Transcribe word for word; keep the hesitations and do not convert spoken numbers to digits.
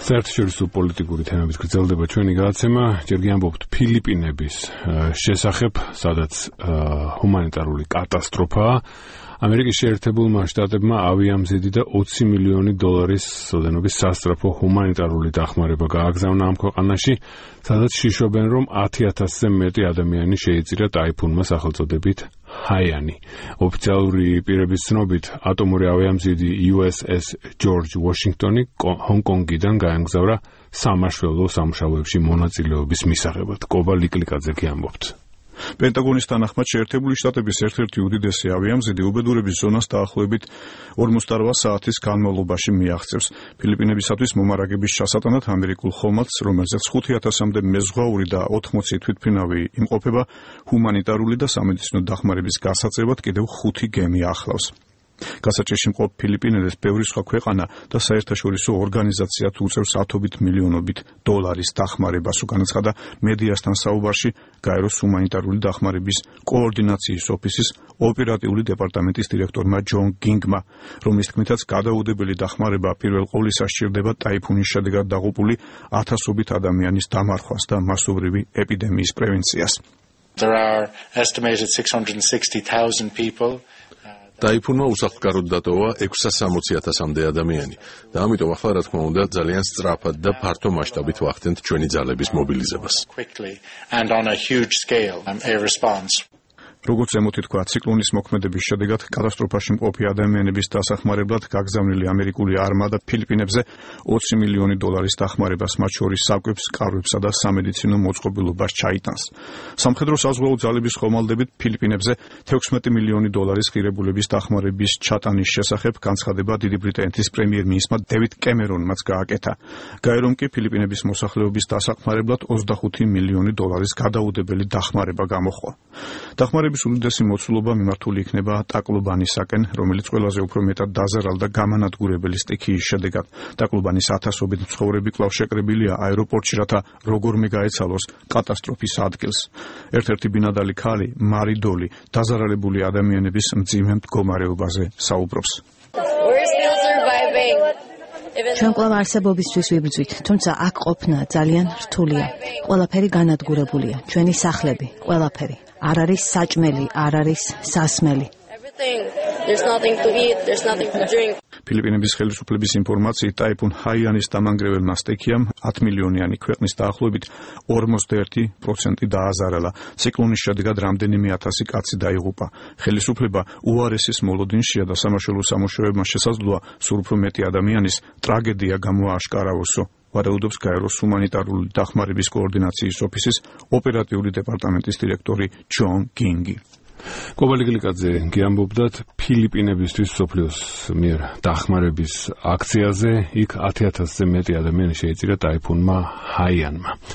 საერთაშორისო პოლიტიკური თემებით გრძელდება ჩვენი გადაცემა. ჯერ გიამბობთ ფილიპინების შესახებ, სადაც ჰუმანიტარული კატასტროფაა. ამერიკის შეერთებულმა შტატებმა ავიამზიდი და ოცი მილიონი დოლარის ოდენობის სასწრაფო ჰუმანიტარული დახმარება გააგზავნა ამ ქვეყანაში, სადაც შიშობენ, რომ ათი ათასზე მეტი ადამიანი შეიწირა ტაიფუნმა სახელწოდებით ჰაიანი. ოფიციალური პირების ცნობით, ატომური ავიამზიდი იუ ეს ეს ჯორჯ ვაშინგტონი ჰონკონგიდან გაემგზავრა სამაშველო სამუშაოებში მონაწილეობის მისაღებად. კობა ლიკლიკაძე გიამბობთ. პენტაგონის თანახმად შეერთებული შტატების ერთ-ერთი უდიდესი ავიამზიდი უბედურების ზონას დაახლოებით ორმოცდარბა საათის განმავლობაში მიაღწევს. ფილიპინებისათვის მომარაგების ჩასატანად ამერიკულ ხომალდს, რომელზეც ხუთი ათასამდე მეზღვაური და ოთხმოცი თვითმფრინავი იმყოფება, ჰუმანიტარული და სამედიცინო დახმარების გასაწევად კიდევ ხუთი გემი ახლავს. გასაჭირში მყოფ ფილიპინელებს ბევრი სხვა ქვეყანა და საერთაშორისო ორგანიზაციაც უწევს ათობით მილიონობით დოლარის დახმარებას, განაცხადა მედიასთან საუბარში გაეროს ჰუმანიტარული დახმარების კოორდინაციის ოფისის ოპერატიული დეპარტამენტის დირექტორმა ჯონ გინგმა, რომლის თქმითაც გადაუდებელი დახმარება პირველ ყოვლისა სჭირდება ტაიფუნის შედეგად დაღუპული ათასობით ადამიანის დამარხვას და მასობრივი ეპიდემიის პრევენციას. There are estimated six hundred sixty thousand people. ტაიფუნმა უსახლკაროდ დატოვა ექვსასამოცი ათასამდე ადამიანი და ამიტომ ახლა რა თქმა უნდა ძალიან სწრაფად და ფართო მასშტაბით ვახდენთ ჩვენი ძალების მობილიზებას. როგორც ემოთი თქვა, ციკლონის მოქმედების შედეგად კატასტროფაში მყოფი ადამიანების დასახმარებლად გაგზავნილი ამერიკული არმადა ფილიპინებზე ოცი მილიონი დოლარის დახმარებას, მათ შორის საკვებს, კარვებსა და სამედიცინო მოწყობილობას ჩაიტანს. სამხედრო საზღვაო ძალების ხომალდებით ფილიპინებზე თექვსმეტი მილიონი დოლარის ღირებულების დახმარების ჩატანის შესახებ განცხადება დიდი ბრიტანეთის პრემიერ-მინისტრმა დევიდ კემერონმაც გააკეთა. გაერომ კი ფილიპინების მოსახლეობის დასახმარებლად ოცდახუთი მილიონი დოლარის გადაუდებელი დახმარება გამოხვა. დახმარების უდიდესი მოცულობა მიმართული იქნება ტაკლუბანისაკენ, რომელიც ყველაზე უფრო მეტად დაზარალდა გამანადგურებელი სტიქიის შედეგად. ტაკლუბანის ათასობით მცხოვრები კვლავ შეკრებილია აეროპორტში, რათა როგორმე გაეცალოს კატასტროფის ადგილს. ერთ-ერთი ბინადარი ქალი, მარი დოლი, დაზარალებული ადამიანების მძიმე მდგომარეობაზე საუბრობს. ჩვენ კვლავ არსებობისთვის ვიბრძვით, თუმცა აქ ყოფნა ძალიან რთულია. ყველაფერი განადგურებულია, ჩვენი სახლები, ყველაფერი. არ არის საჭმელი, არ არის სასმელი. ფილიპინების ხელისუფლების ინფორმაციით, ტაიფუნ ჰაიანის დამანგრეველმა სტიქიამ ათი მილიონიანი ქვეყნის დაახლოებით ორმოცდაერთი პროცენტი დააზარალა. ციკლონის შედეგად რამდენიმე ათასი კაცი დაიღუპა. ხელისუფლება უარესის მოლოდინშია და სამაშველო სამუშაოებმა შესაძლოა სულ უფრო მეტი ადამიანის ტრაგედია გამოააშკარავოსო. ვარაუდობს გაეროს ჰუმანიტარული დახმარების კოორდინაციის ოფისის ოპერატიული დეპარტამენტის დირექტორი ჯონ გინგი. კობა ლიკლიკაძე გიამბობდათ ფილიპინებისთვის მსოფლიოს მიერ დახმარების აქციაზე, იქ ათი ათასზე მეტი ადამიანი შეიწირა ტაიფუნმა ჰაიანმა.